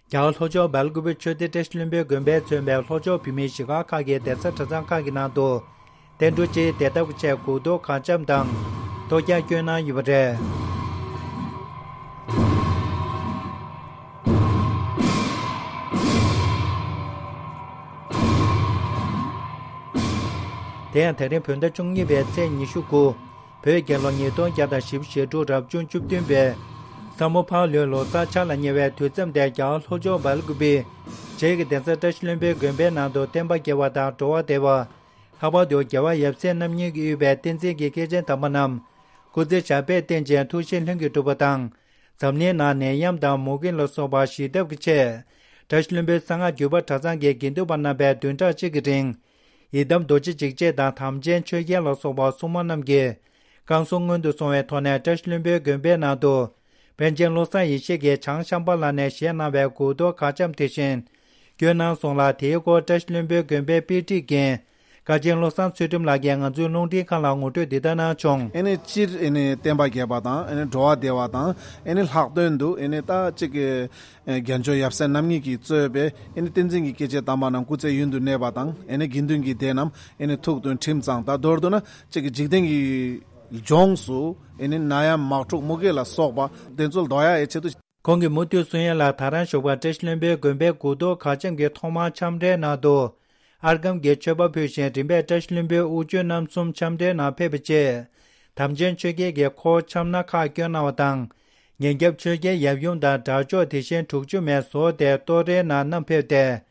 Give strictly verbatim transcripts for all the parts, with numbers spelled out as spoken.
རྒྱ་གར་ལྷོ་ཕྱོགས་སྦེལ་ཀུ་པེ་ཆོས་སྡེ་བཀྲ་ཤིས་ལྷུན་པོའི་དགོན་པས་མཚོན་པའི་ལྷོ་ཕྱོགས་བོད་མིའི་གཞིས་སྒར་ཁག་གི་གདན་ས་གྲྭ་ཚང་ཁག་གི་ནང་དུ། བསྟན་འགྲོ་སྤྱིའི་བདེ་ཐབས་ཀྱི་ཆེད་དགུ་གཏོར་གར་འཆམ་དང་། གཏོར་རྒྱག་སྐྱོན་གནང་ཡོད་པ་རེད། དེ་ཡང་དེ་རིང་བོད་ཟླ་བཅུ་གཉིས་པའི་ཚེས་ཉི་ཤུ་དགུ། བོད་རྒྱལ་ལོ་ཉིས་སྟོང་བརྒྱ་དང་བཞི་བཅུ་ཞེ་དྲུག་རབ་བྱུང་བཅུ་བདུན་པའི་ས་མོ་ཕག་ལོའི་ལོ་གསར་འཆར་ལ་ཉེ་བའི་དུས་མཚམས་དེར་རྒྱ་གར་ལྷོ་ཕྱོགས་སྦེལ་ཀུ་པེ་བྱེས་ཀྱི་གདན་ས་བཀྲ་ཤིས་ལྷུན་པོའི་དགོན་པའི་ནང་དུ་བསྟན་པ་རྒྱལ་བ་དང་འགྲོ་བ་བདེ་བ། ལྷག་པར་དུ་རྒྱལ་བ་ཡབ་སྲས་རྣམ་གཉིས་ཀྱིས་དབུས་པའི་བསྟན་འཛིན་གྱི་སྐྱེས་ཆེན་དམ་པ་རྣམས་སྐུ་ཚེ་ཞབས་པད་བརྟན་ཅིང་ཐུགས་བཞེད་ལྷུན་གྱིས་གྲུབ་པ་དང་། འཛམ་གླིང་ནང་ནད་ཡམས་དང་མུ་གེ་ལ་སོགས་པ་ཞི་ཐབས་ཀྱི་ཆེད། བཀྲ་ཤིས་ལྷུན་པོའི་གསང་སྔགས་བརྒྱུད་པ་གྲྭ་ཚང་གི་དགེ་འདུན་པ་རྣམ་པས་བདུན་ཕྲག་གཅིག་གི་རིང་། ཡི་དམ་རྡོ་རྗེ་འཇིགས་བྱེད་དང་དམ་ཅན་ཆོས་རྒྱལ་ལ་སོགས་པ་སྲུང་མ་རྣམས་ཀྱི་བསྐང་གསོ་སྔོན་དུ་སོང་བའི་ཐོག་ནས་བཀྲ་ཤིས་ལྷུན་པོའི་དགོན་པའི་ནང་དུ། པཎ་ཆེན་བློ་བཟང་ཡེ་ཤེས་ཀྱིས་བྱང་ཤམ་བྷ་ལ་ནས་བཞེངས་གནང་བའི་དགུ་གཏོར་གར་འཆམ་དེ་བཞིན་བསྐྱོན་གནང་སོང་ལ། དེའི་སྐོར་བཀྲ་ཤིས་ལྷུན་པོའི་དགོན་པའི་དཔེ་ཁྲིད་ཀྱི་བཀའ་ཆེན་བློ་བཟང་ཚུལ་ཁྲིམས་ལགས་ཀྱིས་ང་ཚོའི་རླུང་འཕྲིན་ཁང་ལ་ངོ་སྤྲོད་འདི་ལྟར་གནང་བྱུང་། ཨེ་ནི་སྤྱིར་ཨེ་ནི་བསྟན་པ་རྒྱས་པ་དང་ཨེ་ནི་འགྲོ་བ་བདེ་བ་དང་ཨེ་ནི་ལྷག་དོན་དུ་ཨེ་ནི་ད་གཅིག་གི་རྒྱལ་མཆོག་ཡབ་སྲས་རྣམ་གཉིས་ཀྱིས་གཙོས་པའི་ཨེ་ནི་བསྟན་འཛིན་གྱི་སྐྱེས་ཆེན་དམ་པ་རྣམས་སྐུ་ཚེ་ཡུན་དུ་གནས་པ་དང་ཨེ་ནི་དགེ་འདུན་གྱི་སྡེ་རྣམས་ཨེ་ནི་ཐུགས་མཐུན་ཁྲིམས་གཙང་། ད་མདོར་བསྡུ་ན་གཅིག་གི་འཇིག་རྟེན་གྱི་ལྗོངས་སུ་ཨེ་ནི་ནད་ཡམས་དམག་འཁྲུག་མུ་གེ་ལ་སོགས་པ་དེ་ཚོ་ལ་ཟློག་ཡག་ཨེ་ཆེད་དུ། ཁོང་གིས་མུ་མཐུད་གསུང་ཡ་ལ། ད་རང་ཞོགས་པ་བཀྲ་ཤིས་ལྷུན་པོའི་དགོན་པའི་དགུ་གཏོར་གར་འཆམ་གྱི་ཐོག་མར་འཆམ་གྲལ་ནང་དུ། ཨར་སྒམ་གྱི་མཆོད་པ་ཕུལ་ཞིང་རིམ་པས་བཀྲ་ཤིས་ལྷུན་པོའི་དབུ་ཆོས་རྣམ་གསུམ་འཆམ་གྲལ་ནང་ཕེབས་པའི་རྗེས། དམ་ཅན་ཆོས་རྒྱལ་གྱིས་འཁོར་འཆམ་སྣ་ཁག་བསྐྱོན་གནང་བ་དང་། ཉེ་རྒྱབ་ཆོས་རྒྱལ་ཡབ་ཡུམ་དང་དགྲ་ཕྱོགས་དེ་བཞིན་དྲུག་ཅུ་མས་ཟོར་ཏེ་གཏོར་གྲལ་ནང་བསྣམས་ཕེབས་ཏེ།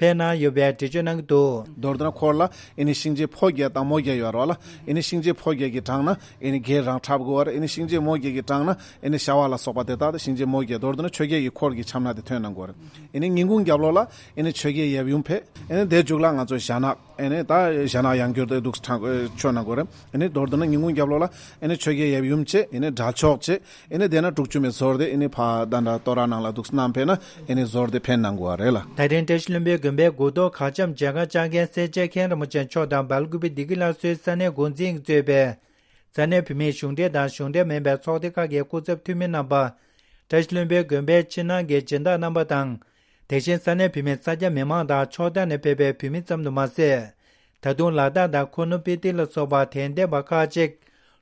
ཕེབས་གནང་ཡོད་པའི་འགྲེལ་བརྗོད་གནང་གི་འདུག། མདོར་བསྡུ་ན་འཁོར་ལ་ཨེ་ནི་གཤིན་རྗེ་ཕོ་བརྒྱད་དང་མོ་བརྒྱད་ཡོད་རེད་བ་ལ། ཨེ་ནི་གཤིན་རྗེ་ཕོ་བརྒྱད་ཀྱི་གྲངས་ན་ཨེ་ནི་བགེགས་རང་འཁྲབ་དགོས་པ་རེད། ཨེ་ནི་གཤིན་རྗེ་མོ་བརྒྱད་ཀྱི་གྲངས་ན་ཨེ་ནི་བྱ་བ་ལ་སོགས་པ་དེ་དག་དང་གཤིན་རྗེ་མོ་བརྒྱད། མདོར་བསྡུ་ན་ཆོས་རྒྱལ་གྱི་འཁོར་གྱི་འཆམ་སྣ་དེ་ཐོན་གནང་དགོས་རེད། ཨེ་ནི་ཉིན་གུང་རྒྱབ་ལོགས་ལ་ཨེ་ནི་ཆོས་རྒྱལ་ཡབ་ཡུམ་ཕེབས། ཨེ་ནི་དེ་མཇུག་ལ་ང་ཚོ་ཞྭ་ནག་ཨེ་ནི་ད་ཞྭ་ནག་ཡང་བསྐྱར་དུ་འདུག་ཕྲེང་མཆོད་གནང་དགོས་རེད། ཨེ་ནི་མདོར་བསྡུ་ན་ཉིན་གུང་རྒྱབ་ལོགས་ལ་ཨེ་ནི་ཆོས་རྒྱལ་ཡབ་ཡུམ་བྱས། ཨེ་ནི་དགྲ་ཕྱོགས་བྱས། ཨེ་ནི་དེ་ན་དྲུག་ཅུ་མའི་ཟོར་དེ་ཨེ་ནི་ཕ་ད་འདྲ་ཏོ་ར་ནང་ལ་འདུག་བསྣམས་ཕེབས་ན་ཨེ་ནི་ཟོར་དེ་ཕེབས་གནང་དགོས་པ་རེད་ལ། ད་རིང་བཀྲ་ཤིས་ལྷུན་པོའི་དགོན་པའི་དགུ་གཏོར་གར་འཆམ་མཇལ་ཁ་བཅར་མཁན་སེར་སྐྱ་མཁན་རིན་པོ་ཆེ་མཆོག་དང་སྦེལ་ཀུ་པེ་བདེ་སྐྱིད་སླར་གསོའི་ས་གནས་འགོ་འཛིན་གྱིས་གཙོས་པའི་ས་གནས་བོད་མིའི་གཞུང་འབྲེལ་དང་གཞུང་འབྲེལ་མིན་པའི་ཚོགས་སྡེ་ཁག་གི་སྐུ་ཚབ་འཐུས་མི་རྣམ་པ། བཀྲ་ཤིས་ལྷུན་པོའི་དགོན་པའི་ཕྱི་ནང་གི་སྦྱིན་བདག་རྣམ་པ་དང་། དེ་བཞིན་ས་གནས་བོད་མི་ས་སྐྱ་མི་མང་དང་ཕྱོགས་མཐའ་ནས་ཕེབས་པའི་བོད་མི་ཙམ་དུ་མ་ཟད། ད་དུང་ལ་དྭགས་དང་ཁུ་ནུ་སྤི་ཏི་ལ་སོགས་པ་དད་ལྡན་པ་ཁག་ཅིག་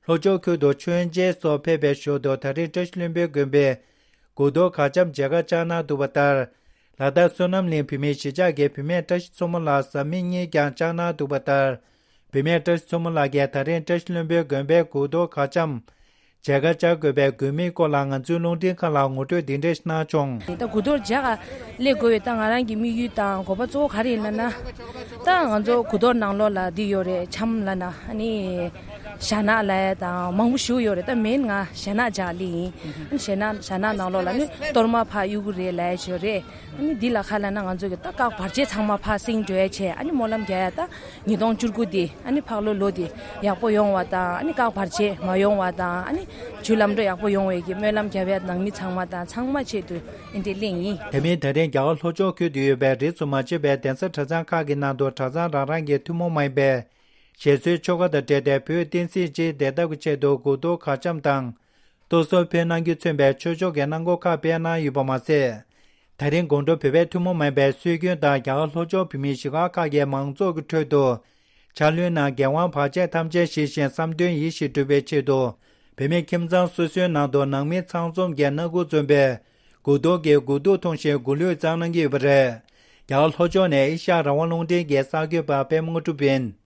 ལྷོ་ཕྱོགས་ཁུལ་དུ་མཆོད་མཇལ་སོགས་ཕེབས་པའི་ཞོར་དུ། ད་རེས་བཀྲ་ཤིས་ལྷུན་པོའི་དགོན་པའི་དགུ་གཏོར་གར་འཆམ་མཇལ་ཁ་བཅར་གནང་འདུག་པ་ལྟར། ལ་དྭགས་བསོད་ནམས་གླིང་བོད་མིའི་གཞིས་ཆགས་ཀྱི་བུད་མེད་བཀྲ་ཤིས་མཚོ་མོ་ལགས་བཟའ་མི་གཉིས་ཀྱང་བཅར་གནང་འདུག་པ་ལྟར། བུད་མེད་བཀྲ་ཤིས་མཚོ་མོ་ལགས་ཀྱིས་ད་རིང་བཀྲ་ཤིས་ལྷུན་པོའི་དགོན་པའི་དགུ་གཏོར་གར་འཆམ་མཇལ་ཁ་བཅར་དགོས་པའི་དགོས་དམིགས་སྐོར་ལ་ང་ཚོའི་རླུང་འཕྲིན་ཁང་ལ་ངོ་སྤྲོད་འདི་འདྲ་ཞིག་གནང་བྱུང་། ད་དགུ་གཏོར་མཇལ་ག་སླེབས་དགོས་པའི་ད་ང་རང་གི་དམིགས་ཡུལ་དང་དགོངས་པ་གཙོ་བོ་ག་རེ་ཡིན་ལབ་ན། ད་ང་ཚོ་དགུ་གཏོར་ནང་ལོགས་ལ་འདི་ཡོད་རེད། འཆམ་ལབ་ན་ཨ་ནི་ཞྭ་ནག་ལབ་ཡ་དང་མང་པོ་ཞིག་ཡོད་རེད། ད་མེན་ང་ཞྭ་ནག་མཇལ་ག་སླེབས་ཡིན། ཨ་ནི་ཞྭ་ནག་ཞྭ་ནག་ནང་ལོགས་ལ་ནི་གཏོར་མ་ཕར་གཡུག་གི་རེད་ལབ་ཡ་ཅིག་ཡོད་རེད། ཨ་ནི་འདི་ལ་ཁ་ལ་ན་ང་ཚོ་གི་ད་བཀག་བར་ཆད་ཚང་མ་ཕར་སེང་འགྲོ་ཡ་བྱས། ཨ་ནི་སྨོན་ལམ་རྒྱག་ཡ་ད་ཉིས་སྟོང་བཅུ་དགུ་འདི་ཨ་ནི་ཕག་ལོ་ལོ་འདི་ཡག་པོ་ཡོང་བ་དང་། ཨ་ནི་བཀག་བར་ཆད་མ་ཡོང་བ་དང་། ཨ་ནི་ཇུས་ལམ་འགྲོ་ཡག་པོ་ཡོང་བའི་གི་སྨོན་ལམ་རྒྱབ་ཡ་ནང་མི་ཚང་མ་དང་ཚང་མ་ཆེད་དུ་ཨེ་འདྲ་གླེང་ཡིན། དེ་མིན་ད་རིང་རྒྱ་གར་ལྷོ་ཕྱོགས་ཁུལ་དུ་ཡོད་པའི་རིས་སུ་མ་ཆད་པའི་གདན་ས་གྲྭ་ཚང་ཁག་གི་ནང་དུ་གྲྭ་ཚང་རང་རང་གི་ཐུན་མོང་མ་ཡིན་པའི་ཞལ་གསོའི་ཆོ་ག་དང་འབྲེལ་ཏེ་བོད་བསྟན་སྲིད་སྤྱིའི་བདེ་ཐབས་ཀྱི་ཆེད་དུ་དགུ་གཏོར་གར་འཆམ་དང་། གཏོར་ཟོར་ཕུལ་གནང་རྒྱུ་མཚོན་པའི་ཆོས་ཕྱོགས་ཀྱི་གནང་སྒོ་ཁག་སྤེལ་གནང་ཡོད་པ་མ་ཟད། ད་རིང་དགོང་དྲོ་བོད་པའི་ཐུན་མོང་མ་ཡིན་པའི་སྲོལ་རྒྱུན་ལྟར་རྒྱ་གར་ལྷོ་ཕྱོགས་བོད་མིའི་གཞིས་སྒར་ཁག་གི་མང་ཚོགས་ཀྱི་ཁྲོད་དུ། ཕྱག་ལུན་ནང་འགན་དབང་བར་ཆད་ཐམས་ཅད་ཞི་ཞིང་བསམ་དོན་ཡིད་བཞིན་འགྲུབ་པའི་ཆེད་དུ། བོད་མི་ཁྱིམ་ཚང་སོ་སོའི་ནང་དུ་ནང་མི་ཚང་འཛོམས་ཀྱི་སྣ་དགུ་འཛོམས་པའི་དགུ་གཏོར་གྱི་དགུ་ཐུག་འཐུང་ཞིང་མགོ་ལུས་བཅངས་གནང་གི་ཡོད་པ་རེད། རྒྱ་གར་ལྷོ་ཕྱོགས་ནས་ཨེ་ཤ་ཡ་རང་དབང་རླུང་འཕྲིན་གྱི་གསར་འགོད་པ་པད་མ་དངོས་གྲུབ་ཡིན།